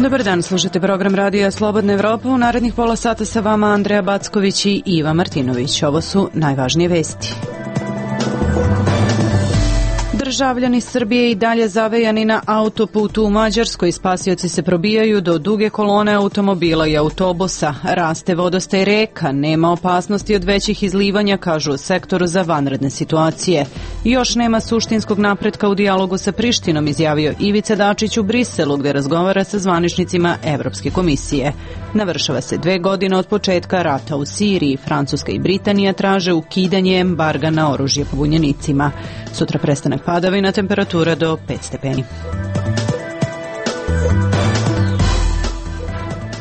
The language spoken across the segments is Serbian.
Dobar dan, slušate program Radija Slobodna Evropa. U narednih pola sata sa vama Andreja Backović i Iva Martinović. Ovo su najvažnije vesti. Državljani Srbije i dalje zavejani na autoputu u Mađarskoj. Spasioci se probijaju do duge kolone automobila i autobusa. Raste vodostaj reka, nema opasnosti od većih izlivanja, kažu u sektoru za vanredne situacije. Još nema suštinskog napretka u dijalogu sa Prištinom, izjavio Ivica Dačić u Briselu, gde razgovara sa zvaničnicima Evropske komisije. Navršava se 2 godine od početka rata u Siriji. Francuska i Britanija traže ukidanje embarga na oružje pobunjenicima. Sutra prestanak padavina, temperatura do 5 stepeni.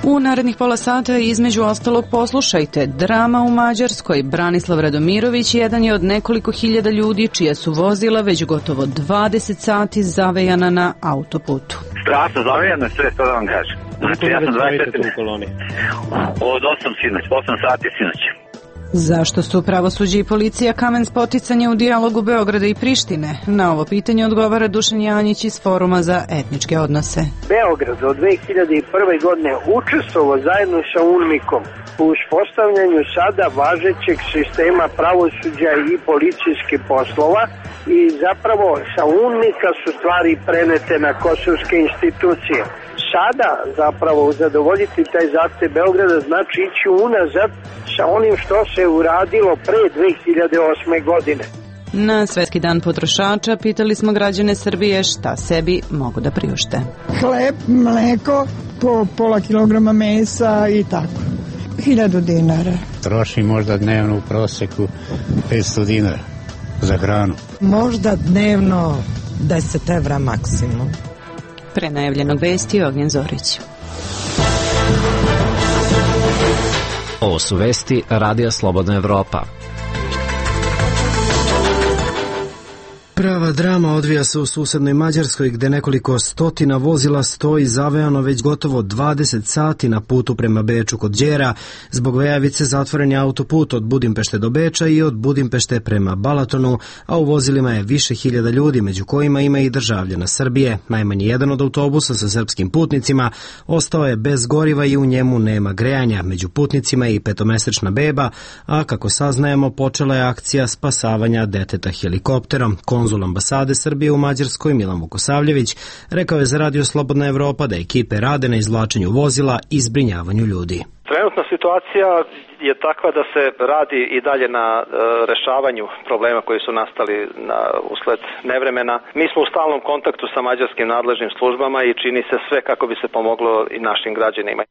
U narednih pola sata između ostalog poslušajte: drama u Mađarskoj. Branislav Radomirović jedan je od nekoliko hiljada ljudi čija su vozila već gotovo 20 sati zavejana na autoputu. Strašno zavejano sve, to da vam kažem. Znači ja sam 24 u koloni. Od 8 sati sinoć. Zašto su pravosuđe i policija kamen spoticanja u dijalogu Beograda i Prištine? Na ovo pitanje odgovara Dušan Janjić iz Foruma za etničke odnose. Beograd od 2001. godine učestvovao zajedno sa UNMIK-om u uspostavljanju sada važećeg sistema pravosuđa i policijskih poslova i zapravo sa UNMIK-a su stvari prenete na kosovske institucije. Sada zapravo zadovoljiti taj zahtev Beograda znači ići unazad sa onim što se uradilo pre 2008. godine. Na Svetski dan potrošača pitali smo građane Srbije šta sebi mogu da priušte. Hleb, mleko, po pola kilograma mesa i tako. 1000 dinara. Troši možda dnevno u proseku 500 dinara za hranu. Možda dnevno 10 evra maksimum. Pre najavljenog vesti Ognjen Zorić. Ovo su vesti Radija Slobodna Evropa. Prava drama odvija se u susednoj Mađarskoj, gde nekoliko stotina vozila stoji zavejano već gotovo 20 sati na putu prema Beču kod Đera. Zbog vejavice zatvoren je autoput od Budimpešte do Beča i od Budimpešte prema Balatonu, a u vozilima je više hiljada ljudi, među kojima ima i državljana Srbije. Najmanje jedan od autobusa sa srpskim putnicima ostao je bez goriva i u njemu nema grejanja. Među putnicima je i 5-mesečna beba, a kako saznajemo počela je akcija spasavanja deteta helikopterom. Konzul ambasade Srbije u Mađarskoj Milan Vukosavljević rekao je za Radio Slobodna Evropa da ekipe rade na izvlačenju vozila i zbrinjavanju ljudi. Trenutna situacija je takva da se radi i dalje na rešavanju problema koji su nastali usled nevremena. Mi smo u stalnom kontaktu sa mađarskim nadležnim službama i čini se sve kako bi se pomoglo i našim građanima.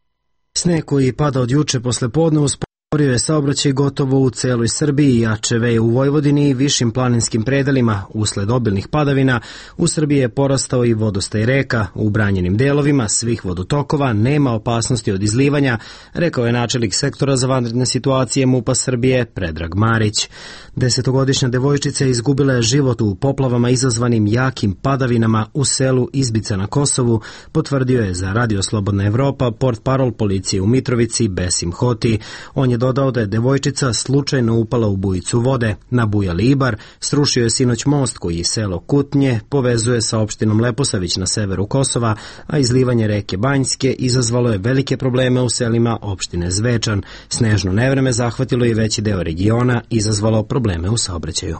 Sneg koji pada od juče posle podne usporio je saobraćaj gotovo u celoj Srbiji, jače veje u Vojvodini i višim planinskim predelima. Usled obilnih padavina u Srbiji je porastao i vodostaj reka. U branjenim delovima svih vodotokova nema opasnosti od izlivanja, rekao je načelnik sektora za vanredne situacije MUP-a Srbije Predrag Marić. 10-godišnja devojčica izgubila je život u poplavama izazvanim jakim padavinama u selu Izbica na Kosovu, potvrdio je za Radio Slobodna Evropa portparol policije u Mitrovici Besim Hoti. On je dodao da je devojčica slučajno upala u bujicu vode. Na Bujali Ibar srušio je sinoć most koji selo Kutnje povezuje sa opštinom Leposavić na severu Kosova, a izlivanje reke Banjske izazvalo je velike probleme u selima opštine Zvečan. Snežno nevreme zahvatilo i veći deo regiona, izazvalo probleme u saobraćaju.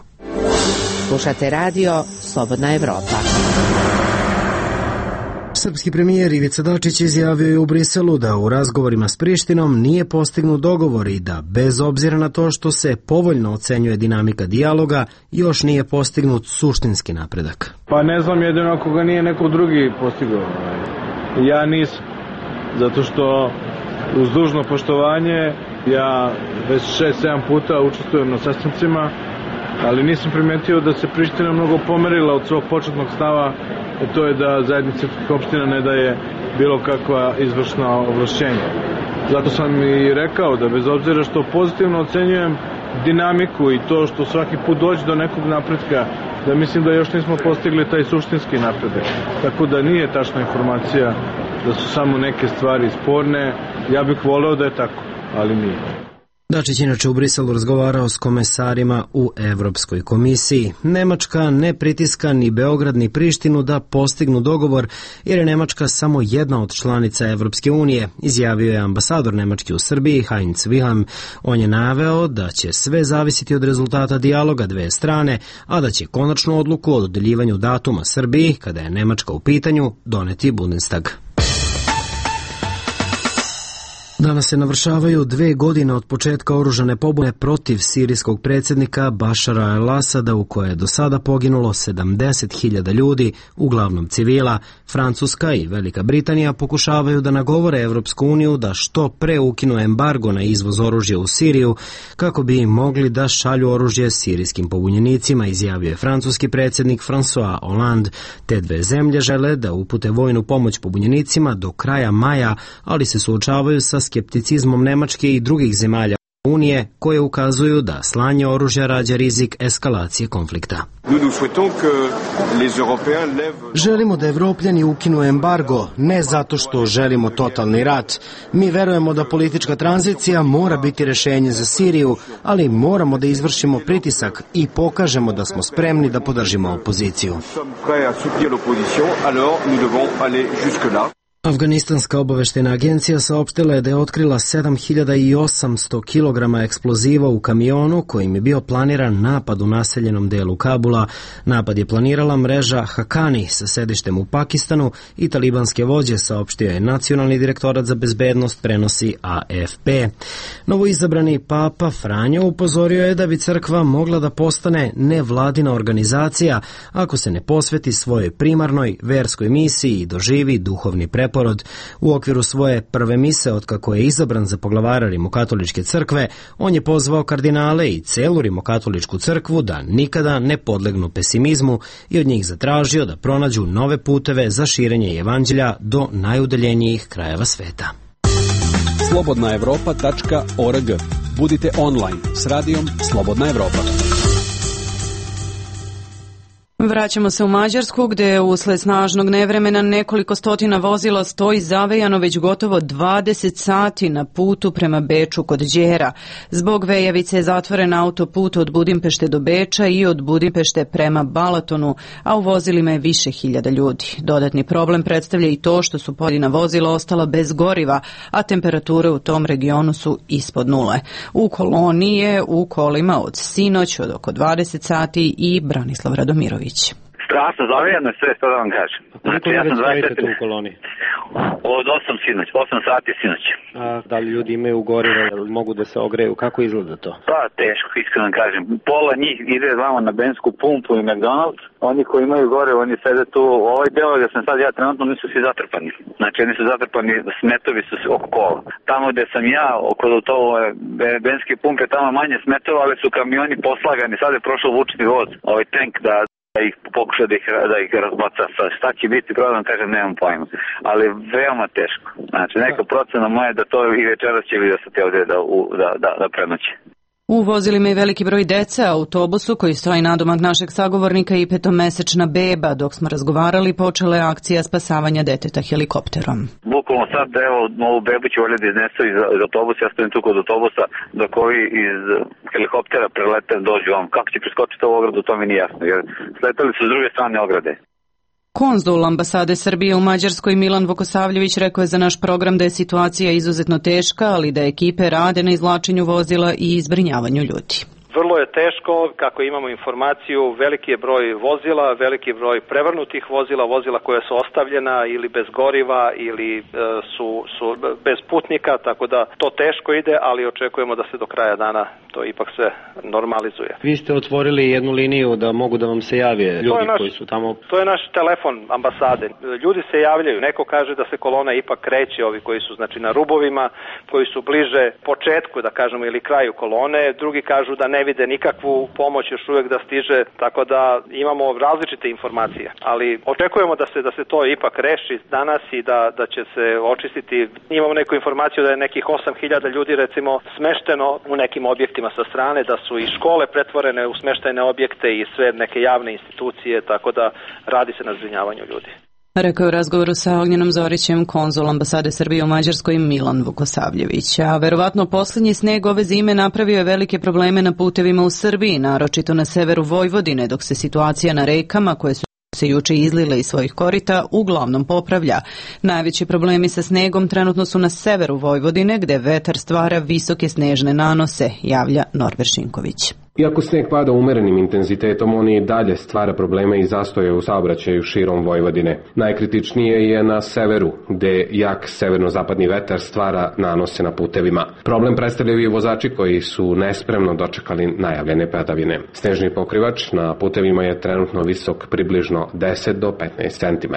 Slušate Radio Slobodna Evropa. Srpski premijer Ivica Dačić izjavio je u Briselu da u razgovorima s Prištinom nije postignut dogovor i da, bez obzira na to što se povoljno ocenjuje dinamika dijaloga, još nije postignut suštinski napredak. Pa ne znam, jedino ako ga nije neko drugi postigao. Ja nisam. Zato što uz dužno poštovanje ja već 6-7 puta učestvujem na sastancima, ali nisam primetio da se Priština mnogo pomerila od svog početnog stava, to je da zajednica srpskih opština ne daje bilo kakva izvršna ovlašćenja. Zato sam i rekao da bez obzira što pozitivno ocenjujem dinamiku i to što svaki put dođe do nekog napretka, da mislim da još nismo postigli taj suštinski napredak. Tako da nije tačna informacija da su samo neke stvari sporne. Ja bih voleo da je tako, ali nije. Dačić inače u Briselu razgovarao s komesarima u Evropskoj komisiji. Nemačka ne pritiska ni Beograd ni Prištinu da postignu dogovor, jer je Nemačka samo jedna od članica Evropske unije, izjavio je ambasador Nemačke u Srbiji Heinz Wilhelm. On je naveo da će sve zavisiti od rezultata dijaloga dve strane, a da će konačnu odluku o dodeljivanju datuma Srbiji, kada je Nemačka u pitanju, doneti Bundestag. Danas se navršavaju 2 godine od početka oružane pobune protiv sirijskog predsjednika Bašara al-Asada, u kojoj je do sada poginulo 70.000 ljudi, uglavnom civila. Francuska i Velika Britanija pokušavaju da nagovore Evropsku uniju da što pre ukinu embargo na izvoz oružja u Siriju, kako bi mogli da šalju oružje sirijskim pobunjenicima, izjavio je francuski predsjednik François Hollande. Te dve zemlje žele da upute vojnu pomoć pobunjenicima do kraja maja, ali se suočavaju sa skepticizmom Nemačke i drugih zemalja Unije, koje ukazuju da slanje oružja rađa rizik eskalacije konflikta. Želimo da Evropljani ukinu embargo, ne zato što želimo totalni rat. Mi verujemo da politička tranzicija mora biti rešenje za Siriju, ali moramo da izvršimo pritisak i pokažemo da smo spremni da podržimo opoziciju. Afganistanska obaveštajna agencija saopštila je da je otkrila 7.800 kg eksploziva u kamionu kojim je bio planiran napad u naseljenom delu Kabula. Napad je planirala mreža Hakani sa sedištem u Pakistanu i talibanske vođe, saopštio je Nacionalni direktorat za bezbednost, prenosi AFP. Novoizabrani papa Franjo upozorio je da bi crkva mogla da postane nevladina organizacija ako se ne posveti svojoj primarnoj verskoj misiji i doživi duhovni preporod. U okviru svoje prve mise otkako je izabran za poglavara Rimokatoličke crkve, on je pozvao kardinale i celu Rimokatoličku crkvu da nikada ne podlegnu pesimizmu i od njih zatražio da pronađu nove puteve za širenje evanđelja do najudaljenijih krajeva sveta. slobodnaevropa.org. Budite online s radijom Slobodna Evropa. Vraćamo se u Mađarsku, gde usled snažnog nevremena nekoliko stotina vozila stoji zavejano već gotovo 20 sati na putu prema Beču kod Đera. Zbog vejavice je zatvoren autoput od Budimpešte do Beča i od Budimpešte prema Balatonu, a u vozilima je više hiljada ljudi. Dodatni problem predstavlja i to što su pojedina vozila ostala bez goriva, a temperature u tom regionu su ispod nule. U koloni je u kolima od sinoć od oko 20 sati i Branislav Radomirović. Strašno zavijano je sve, što da vam kažem. Znači, ja sam 24 u koloni. Od 8 sinoć, 8 sati sinoć. A da li ljudi imaju goriva, mogu da se ogreju, kako izgleda to? Pa, teško, iskreno kažem. Pola njih ide vamo na bensku pumpu i McDonald's, oni koji imaju gorivo, oni sede tu, ovaj deo gde sam sad ja trenutno, nisu svi zatrpani. Znači, oni su zatrpani, smetovi su oko kola. Tamo gde sam ja, oko to benske pumpe, tamo manje smetova, ali su kamioni poslagani. Sad je prošao vučni voz, ovaj tank da ih pokuša da ih razbaca. Šta će biti problem, kažem, nemam pojma. Ali veoma teško. Znači, neka procena moja da to i večeras će vidjeti ovdje da prenoće. U vozilima je veliki broj dece, a autobusu koji stoji nadomak našeg sagovornika i 5-mesečna beba. Dok smo razgovarali, počela je akcija spasavanja deteta helikopterom. Bukvalno sad, evo, ovu bebu će ovdje da iznesu iz autobusa, ja stojim tu kod autobusa, dok ovi iz helikoptera prelete dođu vam. Kako će preskočiti ovu ogradu, to mi nije jasno, jer sletali su s druge strane ograde. Konzul ambasade Srbije u Mađarskoj Milan Vukosavljević rekao je za naš program da je situacija izuzetno teška, ali da ekipe rade na izvlačenju vozila i zbrinjavanju ljudi. Vrlo je teško, kako imamo informaciju, veliki je broj vozila, veliki broj prevrnutih vozila, vozila koja su ostavljena ili bez goriva ili su bez putnika, tako da to teško ide, ali očekujemo da se do kraja dana to ipak sve normalizuje. Vi ste otvorili jednu liniju da mogu da vam se jave ljudi koji su tamo. To je naš telefon ambasade. Ljudi se javljaju, neko kaže da se kolona ipak kreće, ovi koji su znači na rubovima, koji su bliže početku, da kažemo, ili kraju kolone, drugi kažu da ne vide nikakvu pomoć još uvijek da stiže, tako da imamo različite informacije, ali očekujemo da se to ipak reši danas i da će se očistiti. Imamo neku informaciju da je nekih 8.000 ljudi recimo smešteno u nekim objektima sa strane, da su i škole pretvorene u smeštajne objekte i sve neke javne institucije, tako da radi se na zbrinjavanju ljudi. Rekao je u razgovoru sa Ognjenom Zorićem konzul ambasade Srbije u Mađarskoj Milan Vukosavljević. A verovatno posljednji sneg ove zime napravio je velike probleme na putevima u Srbiji, naročito na severu Vojvodine, dok se situacija na rekama koje su se juče izlile iz svojih korita uglavnom popravlja. Najveći problemi sa snegom trenutno su na severu Vojvodine, gde vetar stvara visoke snežne nanose, javlja Norbert Šinković. Iako sneg pada umerenim intenzitetom, on i dalje stvara probleme i zastoje u saobraćaju širom Vojvodine. Najkritičnije je na severu, gde jak severno-zapadni vetar stvara nanose na putevima. Problem predstavljaju i vozači koji su nespremno dočekali najavljene padavine. Snežni pokrivač na putevima je trenutno visok približno 10 do 15 cm.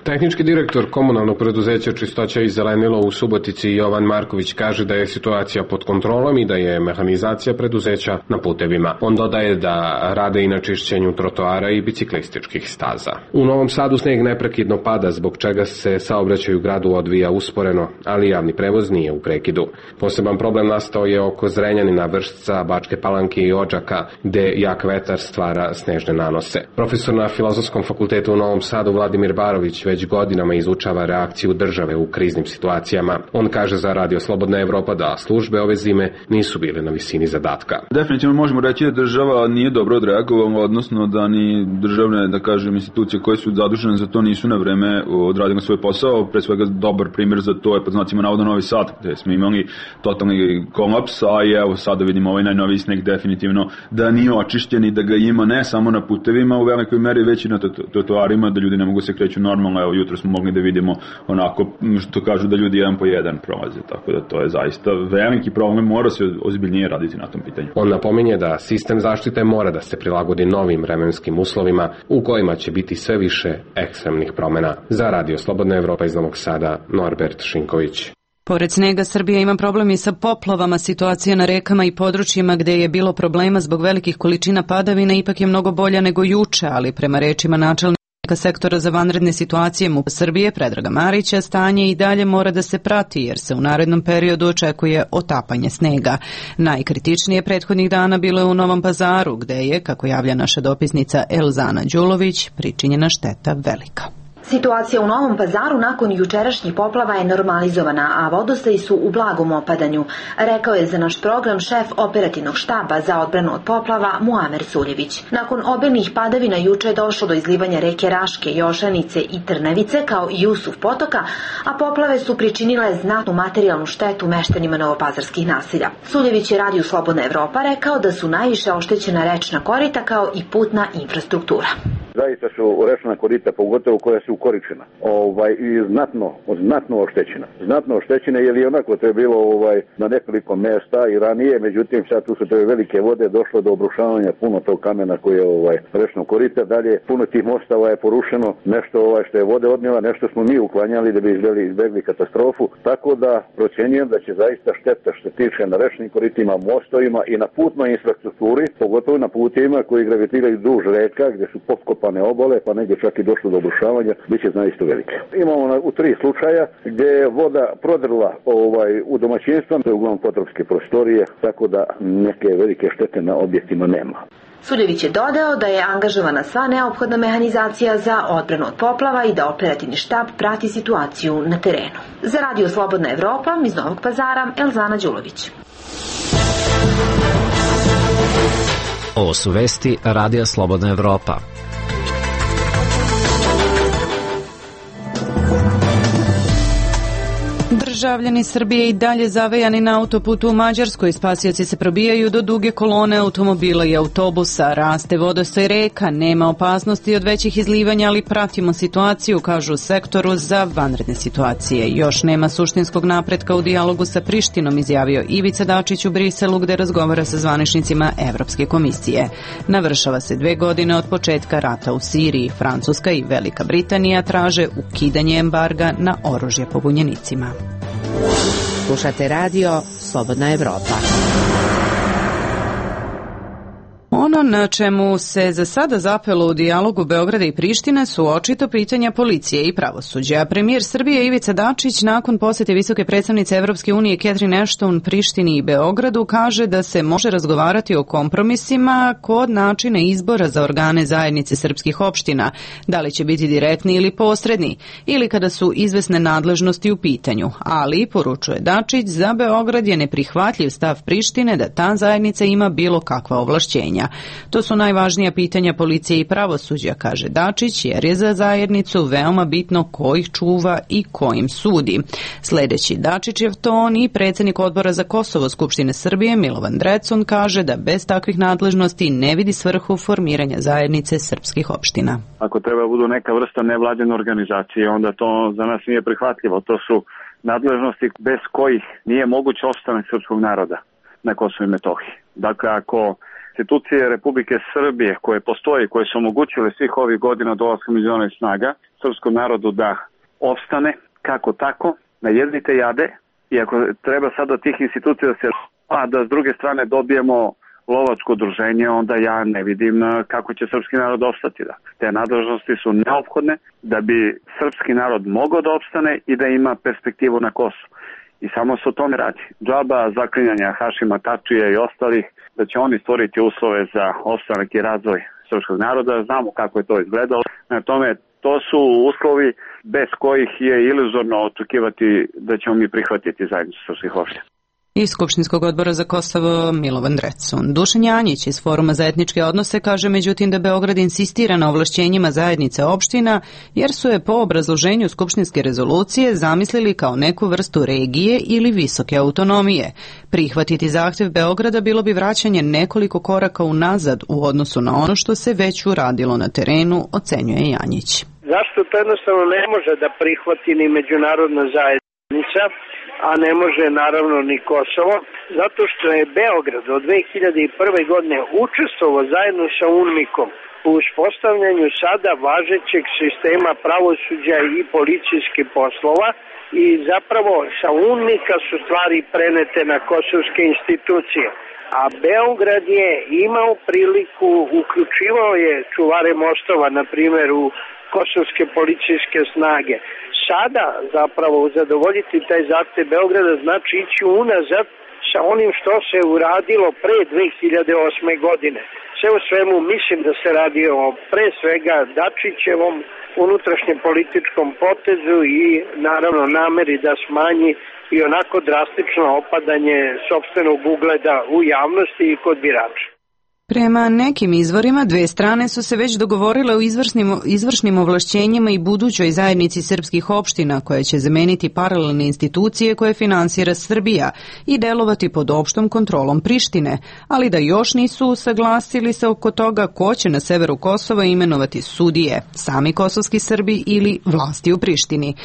Tehnički direktor komunalnog preduzeća Čistoća i zelenilo u Subotici Jovan Marković kaže da je situacija pod kontrolom i da je mehanizacija preduzeća na putevima. On dodaje da rade i na čišćenju trotoara i biciklističkih staza. U Novom Sadu sneg neprekidno pada, zbog čega se saobraćaj u gradu odvija usporeno, ali javni prevoz nije u prekidu. Poseban problem nastao je oko Zrenjanina, Vršca, Bačke Palanke i Odžaka, gde jak vetar stvara snežne nanose. Profesor na Filozofskom fakultetu u Novom Sadu Vladimir Barović već godinama izučava reakciju države u kriznim situacijama. On kaže za Radio Slobodna Evropa da službe ove zime nisu bile na visini zadatka. Definitivno možemo reći da država nije dobro odreagovala, odnosno da ni državne, da kažem, institucije koje su zadužene za to nisu na vreme odradile svoj posao. Pre svega dobar primjer za to je pod znacima navoda Novi Sad, gde smo imali totalni kolaps, a i evo sada vidimo ovaj najnoviji sneg definitivno da nije očišćen i da ga ima ne samo na putevima u velikoj meri, već i na trotoarima, da ljudi ne mogu se kreću normalno. Evo jutro smo mogli da vidimo onako što kažu da ljudi jedan po jedan prolaze, tako da to je zaista veliki problem, mora se ozbiljnije raditi na tom pitanju. On napominje da sistem zaštite mora da se prilagodi novim vremenskim uslovima u kojima će biti sve više ekstremnih promjena. Za Radio Slobodna Evropa iz Novog Sada, Norbert Šinković. Pored snega, Srbija ima problem i sa poplavama. Situacija na rekama i područjima gde je bilo problema zbog velikih količina padavina ipak je mnogo bolja nego juče, ali prema rečima načelnika sektora za vanredne situacije MUP Srbije Predraga Marića, stanje i dalje mora da se prati jer se u narednom periodu očekuje otapanje snega. Najkritičnije prethodnih dana bilo je u Novom Pazaru, gde je, kako javlja naša dopisnica Elzana Đulović, pričinjena šteta velika. Situacija u Novom Pazaru nakon jučerašnjih poplava je normalizovana, a vodostaji su u blagom opadanju, rekao je za naš program šef operativnog štaba za odbranu od poplava Muamer Suljević. Nakon obilnih padavina juče je došlo do izlivanja reke Raške, Jošanice i Trnavice kao i Jusuf potoka, a poplave su pričinile znatnu materijalnu štetu meštanima novopazarskih naselja. Suljević je Radio Slobodna Evropa rekao da su najviše oštećena rečna korita kao i putna infrastruktura. Zaista su rečna korita, pogotovo koja su ukoričena, i znatno oštećena. Znatno oštećena jer i onako to je bilo na nekoliko mjesta i ranije, međutim sad tu su te velike vode, došlo do obrušavanja puno tog kamena koji je rečno korita, dalje puno tih mostova je porušeno, nešto što je vode odnijela, nešto smo mi uklanjali da bi izbjegli katastrofu, tako da procjenjujem da će zaista šteta što se tiče na rečnim koritima, mostovima i na putnoj infrastrukturi, pogotovo na putima koji gravitiraju duž reka gdje su potkopane obale, pa negdje čak i došlo do obrušavanja, bit će zaista velike. Imamo u 3 slučaja gdje je voda prodrla u domaćinstva, to je uglavnom potropske prostorije, tako da neke velike štete na objektima nema. Suljević je dodao da je angažovana sva neophodna mehanizacija za odbranu od poplava i da operativni štab prati situaciju na terenu. Za Radio Slobodna Evropa iz Novog Pazara, Elzana Đulović. Ovo su vesti Radija Slobodna Evropa. Državljani Srbije i dalje zavejani na autoputu u Mađarskoj. Spasioci se probijaju do duge kolone automobila i autobusa. Raste vodostaj reka, nema opasnosti od većih izlivanja, ali pratimo situaciju, kažu u sektoru za vanredne situacije. Još nema suštinskog napretka u dijalogu sa Prištinom, izjavio Ivica Dačić u Briselu, gde razgovara sa zvaničnicima Evropske komisije. Navršava se 2 godine od početka rata u Siriji. Francuska i Velika Britanija traže ukidanje embarga na oružje pobunjenicima. Slušate Radio Slobodna Evropa. Ono Ono na čemu se za sada zapelo u dijalogu Beograda i Prištine su očito pitanja policije i pravosuđa. Premijer Srbije Ivica Dačić nakon posjete visoke predstavnice Evropske unije Catherine Ashton Prištini i Beogradu kaže da se može razgovarati o kompromisima kod načina izbora za organe zajednice srpskih opština, da li će biti direktni ili posredni, ili kada su izvesne nadležnosti u pitanju. Ali, poručuje Dačić, za Beograd je neprihvatljiv stav Prištine da ta zajednica ima bilo kakva ovlašćenja. To su najvažnija pitanja policije i pravosuđa, kaže Dačić, jer je za zajednicu veoma bitno ko ih čuva i ko im sudi. Sledeći Dačićev ton i predsjednik odbora za Kosovo Skupštine Srbije Milovan Drecun kaže da bez takvih nadležnosti ne vidi svrhu formiranja zajednice srpskih opština. Ako treba budu neka vrsta nevladine organizacije, onda to za nas nije prihvatljivo. To su nadležnosti bez kojih nije moguć ostanak srpskog naroda na Kosovu i Metohiji. Dakle, ako institucije Republike Srbije koje postoje, koje su omogućile svih ovih godina dolaska međunarodnih snaga srpskom narodu da opstane kako tako, najednite jade, i ako treba sad od tih institucija da se da s druge strane dobijemo lovačko udruženje, onda ja ne vidim kako će srpski narod opstati. Da. Te nadležnosti su neophodne da bi srpski narod mogao da opstane i da ima perspektivu na Kosovu. I samo se o tome radi. Džaba zaklinjanja Hašima Tačija i ostalih, da će oni stvoriti uslove za opstanak i razvoj srpskog naroda. Znamo kako je to izgledalo. Na tome, to su uslovi bez kojih je iluzorno očekivati da ćemo mi prihvatiti zajednicu srpskih opština. Iz Skupštinskog odbora za Kosovo Milovan Drecun. Dušan Janjić iz Foruma za etničke odnose kaže međutim da Beograd insistira na ovlašćenjima zajednice opština jer su je po obrazloženju Skupštinske rezolucije zamislili kao neku vrstu regije ili visoke autonomije. Prihvatiti zahtev Beograda bilo bi vraćanje nekoliko koraka unazad u odnosu na ono što se već uradilo na terenu, ocenjuje Janjić. Zašto to jednostavno ne može da prihvati ni međunarodna zajednica, a ne može naravno ni Kosovo, zato što je Beograd od 2001. godine učestvovao zajedno sa UNMIK-om u uspostavljanju sada važećeg sistema pravosuđa i policijskih poslova i zapravo sa UNMIK-a su stvari prenete na kosovske institucije. A Beograd je imao priliku, uključivao je čuvare mostova, na primjer, u kosovske policijske snage. Sada zapravo zadovoljiti taj zahtev Beograda znači ići unazad sa onim što se uradilo pre 2008. godine. Sve u svemu mislim da se radi o pre svega Dačićevom unutrašnjem političkom potezu i naravno nameri da smanji i onako drastično opadanje sopstvenog ugleda u javnosti i kod birača. Prema nekim izvorima, dve strane su se već dogovorile o izvršnim ovlašćenjima i budućoj zajednici srpskih opština koja će zameniti paralelne institucije koje finansira Srbija i delovati pod opštom kontrolom Prištine, ali da još nisu usaglasili se oko toga ko će na severu Kosova imenovati sudije, sami kosovski Srbi ili vlasti u Prištini.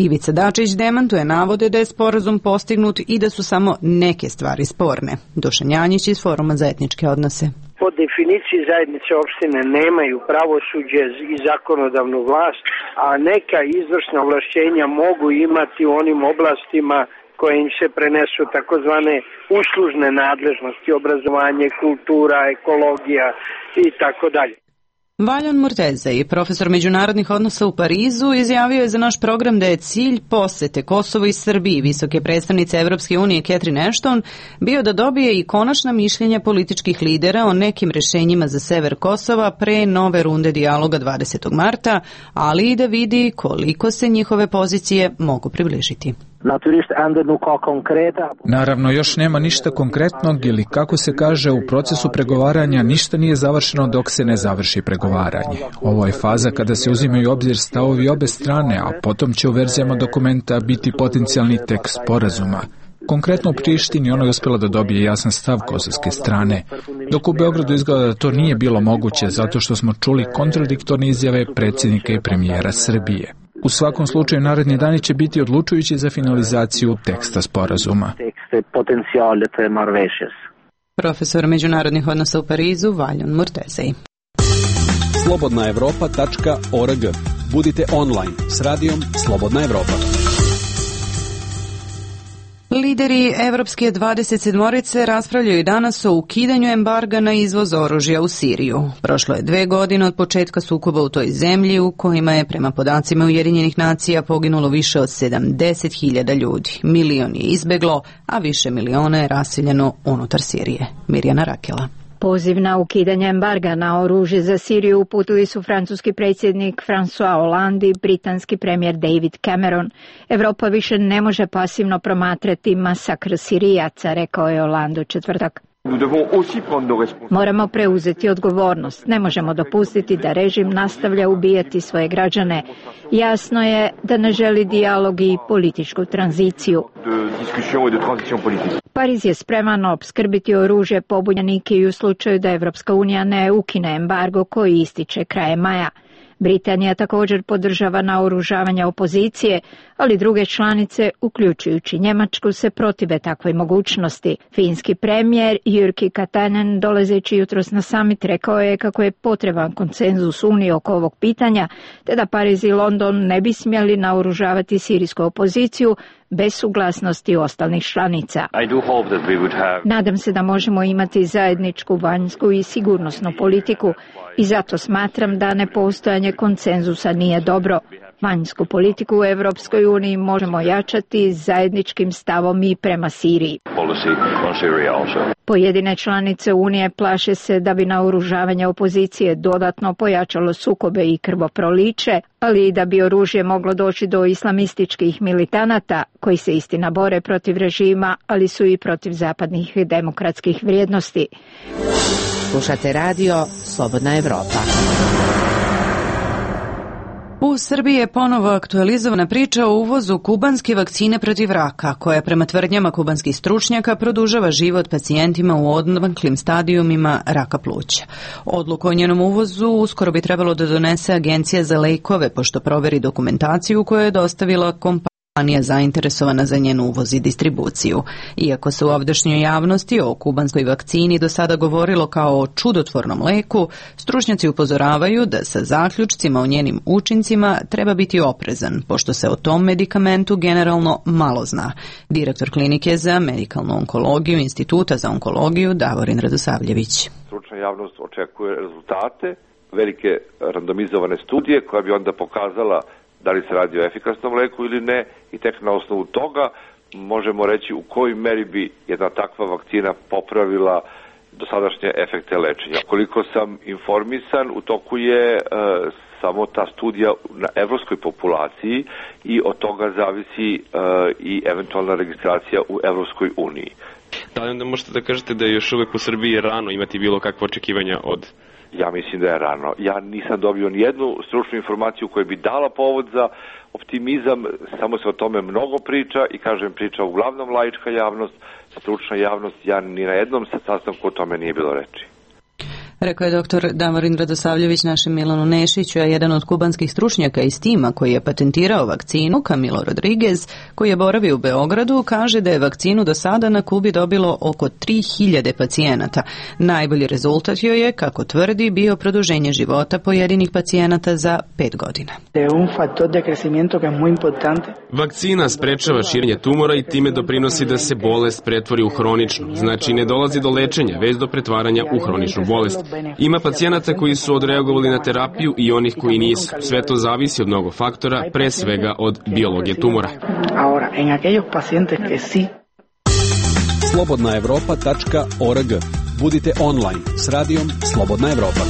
Ivica Dačić demantuje navode da je sporazum postignut i da su samo neke stvari sporne. Dušan Janjić iz Foruma za etničke odnose. Po definiciji zajednice opštine nemaju pravosuđe i zakonodavnu vlast, a neka izvršna ovlašćenja mogu imati u onim oblastima koje im se prenesu takozvane uslužne nadležnosti, obrazovanje, kultura, ekologija i tako dalje. Valjan Murtezej, profesor međunarodnih odnosa u Parizu, izjavio je za naš program da je cilj posete Kosovo i Srbiji visoke predstavnice Evropske unije Catherine Ashton bio da dobije i konačna mišljenja političkih lidera o nekim rešenjima za sever Kosova pre nove runde dijaloga 20. marta, ali i da vidi koliko se njihove pozicije mogu približiti. Naravno, još nema ništa konkretnog ili, kako se kaže, u procesu pregovaranja ništa nije završeno dok se ne završi pregovaranje. Ovo je faza kada se uzimaju u obzir stavovi obe strane, a potom će u verzijama dokumenta biti potencijalni tekst sporazuma. Konkretno u Prištini ona je uspjela da dobije jasan stav kosovske strane, dok u Beogradu izgleda da to nije bilo moguće zato što smo čuli kontradiktorne izjave predsjednika i premijera Srbije. U svakom slučaju, naredni dani će biti odlučujući za finalizaciju teksta sporazuma. Profesor međunarodnih odnosa u Parizu, Valjan Murtezej. slobodnaevropa.org. Budite online s radijom Slobodna Evropa. Lideri Evropske 27-orice raspravljaju danas o ukidanju embarga na izvoz oružja u Siriju. Prošlo je 2 godine od početka sukoba u toj zemlji u kojima je prema podacima Ujedinjenih nacija poginulo više od 70.000 ljudi. Milion je izbeglo, a više miliona je raseljeno unutar Sirije. Mirjana Rakela. Poziv na ukidanje embarga na oružje za Siriju uputili su francuski predsjednik François Hollande i britanski premijer David Cameron. Evropa više ne može pasivno promatrati masakr Sirijaca, rekao je Hollande u četvrtak. Moramo preuzeti odgovornost. Ne možemo dopustiti da režim nastavlja ubijati svoje građane. Jasno je da ne želi dijalog i političku tranziciju. Pariz je spreman opskrbiti oružje pobunjenike i u slučaju da Evropska unija ne ukine embargo koji ističe krajem maja. Britanija također podržava naoružavanje opozicije, ali druge članice, uključujući Njemačku, se protive takvoj mogućnosti. Finski premijer Jyrki Katainen, dolazeći jutros na summit, rekao je kako je potreban konsenzus Unije oko ovog pitanja, te da Pariz i London ne bi smjeli naoružavati sirijsku opoziciju bez suglasnosti ostalih članica. Nadam se da možemo imati zajedničku vanjsku i sigurnosnu politiku i zato smatram da nepostojanje konsenzusa nije dobro. Vanjsku politiku u Evropskoj uniji možemo jačati zajedničkim stavom i prema Siriji. Pojedine članice Unije plaše se da bi naoružavanje opozicije dodatno pojačalo sukobe i krvoproliće, ali i da bi oružje moglo doći do islamističkih militanata koji se istina bore protiv režima, ali su i protiv zapadnih demokratskih vrijednosti. Slušate radio Slobodna Evropa. U Srbiji je ponovo aktualizovana priča o uvozu kubanske vakcine protiv raka, koja prema tvrdnjama kubanskih stručnjaka produžava život pacijentima u odmaklim stadijumima raka pluća. Odluku o njenom uvozu uskoro bi trebalo da donese Agencija za lekove, pošto proveri dokumentaciju koju je dostavila kompanija zainteresovana za njen uvoz i distribuciju. Iako se u ovdašnjoj javnosti o kubanskoj vakcini do sada govorilo kao o čudotvornom leku, stručnjaci upozoravaju da sa zaključcima o njenim učincima treba biti oprezan, pošto se o tom medikamentu generalno malo zna. Direktor klinike za medikalnu onkologiju Instituta za onkologiju Davorin Radosavljević. Stručna javnost očekuje rezultate, velike randomizovane studije koja bi onda pokazala da li se radi o efikasnom leku ili ne, i tek na osnovu toga možemo reći u kojoj meri bi jedna takva vakcina popravila dosadašnje efekte lečenja. Koliko sam informisan, u toku je samo ta studija na evropskoj populaciji i od toga zavisi i eventualna registracija u Evropskoj uniji. Da li onda možete da kažete da je još uvek u Srbiji rano imati bilo kakve očekivanja od... Ja mislim da je rano. Ja nisam dobio ni jednu stručnu informaciju koja bi dala povod za optimizam, samo se o tome mnogo priča i kažem priča uglavnom laička javnost, stručna javnost, ja ni na jednom sastanku o tome nije bilo reči. Rekao je dr. Davorin Radosavljević našem Milanu Nešiću, a jedan od kubanskih stručnjaka iz tima koji je patentirao vakcinu, Camilo Rodriguez, koji je boravio u Beogradu, kaže da je vakcinu do sada na Kubi dobilo oko 3000 pacijenata. Najbolji rezultat joj je, kako tvrdi, bio produženje života pojedinih pacijenata za 5 godina. Vakcina sprečava širenje tumora i time doprinosi da se bolest pretvori u hroničnu. Znači ne dolazi do lečenja, već do pretvaranja u hroničnu bolest. Ima pacijenata koji su odreagovali na terapiju i onih koji nisu. Sve to zavisi od mnogo faktora, pre svega od biologije tumora. Slobodnaevropa.org. Budite online s radijom Slobodna Evropa.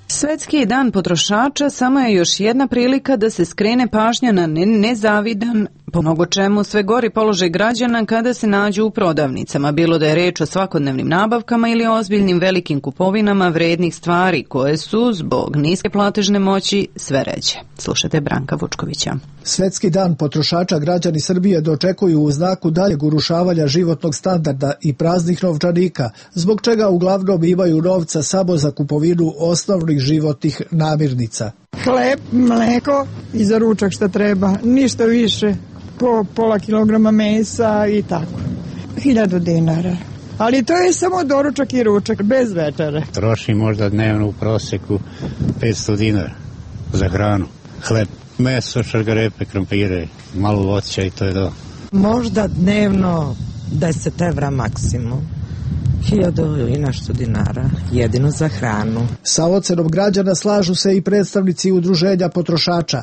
Svetski dan potrošača samo je još jedna prilika da se skrene pažnja na nezavidan, po mnogo čemu sve gori položaj građana kada se nađu u prodavnicama, bilo da je reč o svakodnevnim nabavkama ili ozbiljnim velikim kupovinama vrednih stvari koje su, zbog niske platežne moći, sve ređe. Slušajte Branka Vučkovića. Svetski dan potrošača građani Srbije dočekuju u znaku daljeg urušavanja životnog standarda i praznih novčanika, zbog čega uglavnom imaju novca samo za kupovinu osnovnih životnih namirnica. Hleb, mleko i za ručak šta treba, ništa više, po pola kilograma mesa i tako. 1000 dinara. Ali to je samo doručak i ručak, bez večere. Troši možda dnevno u proseku 500 dinara za hranu. hleb, meso, šargarepe, krompire, malo voća i to je to. Možda dnevno 10 evra maksimum. 1000 i nešto dinara, jedino za hranu. Sa ocenom građana slažu se i predstavnici udruženja potrošača.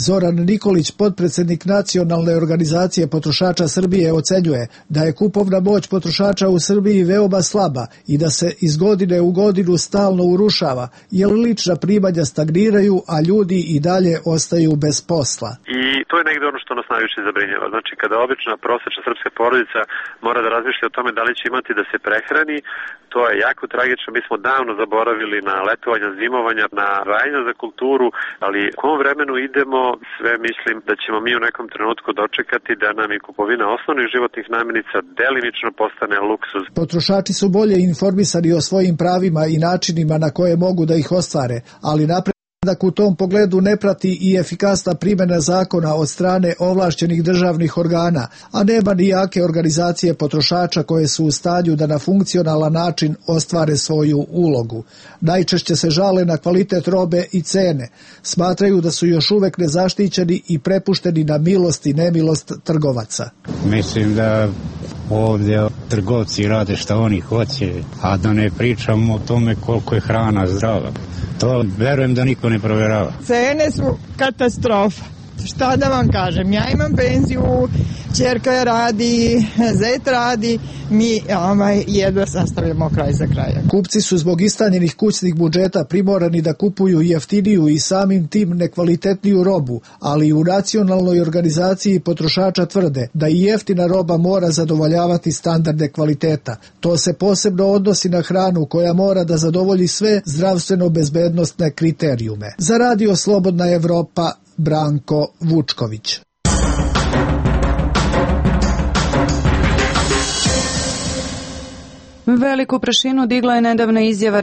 Zoran Nikolić, potpredsjednik Nacionalne organizacije potrošača Srbije, ocenjuje da je kupovna moć potrošača u Srbiji veoma slaba i da se iz godine u godinu stalno urušava, jer lična primanja stagniraju, a ljudi i dalje ostaju bez posla. I to je negde ono što nas najviše zabrinjava. Znači, kada obična prosečna srpska porodica mora da razmišlja o tome da li će imati da se prehrani, to je jako tragično. Mi smo davno zaboravili na letovanja, zimovanja, na rajanja za kulturu, ali u kom vremenu idemo, sve mislim da ćemo mi u nekom trenutku dočekati da nam i kupovina osnovnih životnih namirnica delimično postane luksuz. Potrošači su bolje informisani o svojim pravima i načinima na koje mogu da ih ostvare, ali napredak u tom pogledu ne prati i efikasna primjena zakona od strane ovlašćenih državnih organa, a nema ni jake organizacije potrošača koje su u stanju da na funkcionalan način ostvare svoju ulogu. Najčešće se žale na kvalitet robe i cene. Smatraju da su još uvek nezaštićeni i prepušteni na milost i nemilost trgovaca. Mislim da ovdje trgovci rade šta oni hoće, a da ne pričamo o tome koliko je hrana zdrava. To verujem da niko ne provjerava. Cene su katastrofa. Šta da vam kažem, ja imam penziju, ćerka radi, zet radi, mi jedva sastavljamo kraj za kraja. Kupci su zbog istanjenih kućnih budžeta primorani da kupuju jeftiniju i samim tim nekvalitetniju robu, ali u Nacionalnoj organizaciji potrošača tvrde da i jeftina roba mora zadovoljavati standarde kvaliteta. To se posebno odnosi na hranu koja mora da zadovolji sve zdravstveno-bezbednostne kriterijume. Za Radio Slobodna Evropa, Branko Vučković. Veliku prašinu digla je nedavna izjava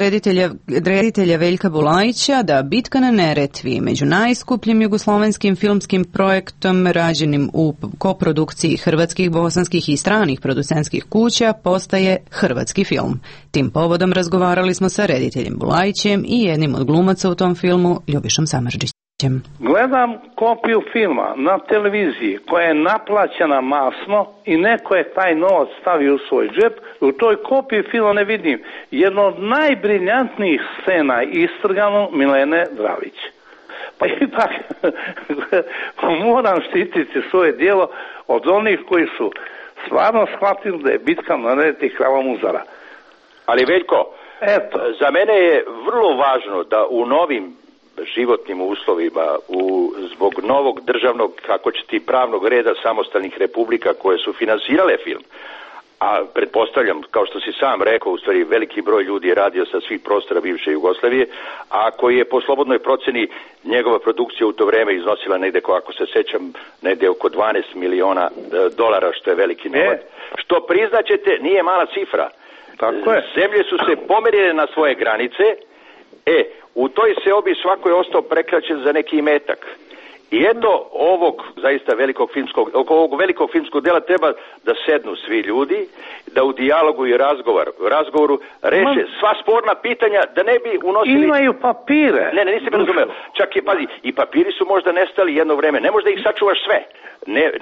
reditelja Veljka Bulajića da Bitka na Neretvi, među najskupljim jugoslovenskim filmskim projektom rađenim u koprodukciji hrvatskih, bosanskih i stranih producentskih kuća, postaje hrvatski film. Tim povodom razgovarali smo sa rediteljem Bulajićem i jednim od glumaca u tom filmu, Ljubišom Samardžićem. Gledam kopiju filma na televiziji koja je naplaćena masno i neko je taj novac stavio u svoj džep. U toj kopiji filma ne vidim jedno od najbriljantnijih scena istrgano Milene Dravić. Pa ipak moram štititi svoje djelo od onih koji su stvarno shvatili da je Bitka na Neretvi krava muzara. Ali Veljko, za mene je vrlo važno da u novim životnim uslovima, zbog novog državnog, kako će ti pravnog reda samostalnih republika koje su finansirale film, a pretpostavljam, kao što si sam rekao, u stvari veliki broj ljudi je radio sa svih prostora bivše Jugoslavije, a koji je po slobodnoj proceni njegova produkcija u to vreme iznosila negde, ako se sećam, negde oko 12 miliona dolara, što je veliki novac. Što priznaćete, nije mala cifra. Tako je. Zemlje su se pomerile na svoje granice, u toj seobi svako je ostao prekraćen za neki imetak. I eto ovog zaista ovog velikog filmskog dela treba da sednu svi ljudi, da u dijalogu i razgovoru reše sva sporna pitanja, da ne bi unosili... Imaju papire. Ne, nisi me razumeo. Čak i, pazi, i papiri su možda nestali jedno vreme. Ne možda ih sačuvaš sve.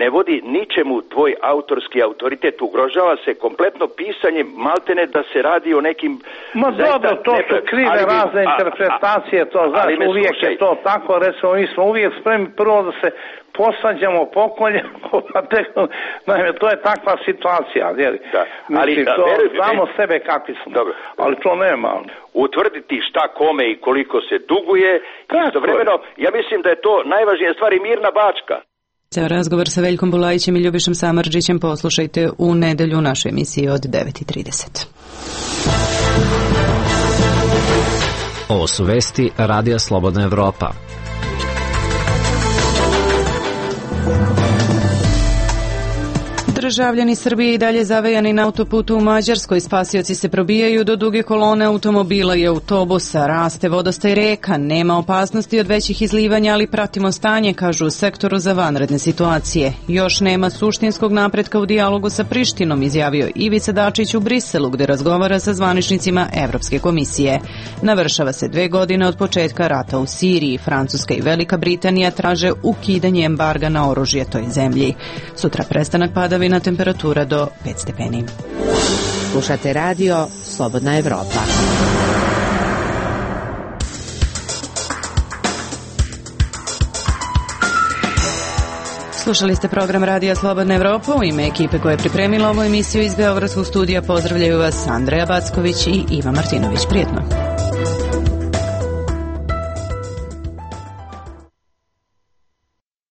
Ne vodi ničemu tvoj autorski autoritet. Ugrožava se kompletno pisanje, maltene da se radi o nekim... dobro, to su krive razne interpretacije, to znaš, uvijek je to tako, recimo, mi smo uvijek spremni prvo da se posvađamo, pokoljemo, naime, to je takva situacija, mislim, znamo sebe kakvi smo, ali to nema. Utvrditi šta kome i koliko se duguje, istovremeno, ja mislim da je to najvažnija stvar i mirna Bačka. Razgovor sa Veljkom Bulajićem i Ljubišom Samardžićem poslušajte u nedelju u našoj emisiji od 9:30. Ovo su vesti Radija Slobodna Evropa. Državljani Srbije i dalje zavejani na autoputu u Mađarskoj. Spasioci se probijaju do duge kolone automobila i autobusa. Raste vodostaj reka. Nema opasnosti od većih izlivanja, ali pratimo stanje, kažu u sektoru za vanredne situacije. Još nema suštinskog napretka u dijalogu sa Prištinom, izjavio Ivica Dačić u Briselu, gde razgovara sa zvaničnicima Evropske komisije. Navršava se 2 godine od početka rata u Siriji. Francuska i Velika Britanija traže ukidanje embarga na oružje toj zemlji. Sutra prestanak padavina, temperatura do 5 stepeni. Slušate radio Slobodna Evropa. Slušali ste program Radija Slobodna Evropa. U ime ekipe koja je pripremila ovu emisiju iz Beogradskog studija pozdravljaju vas Andreja Backović i Iva Martinović. Prijetno.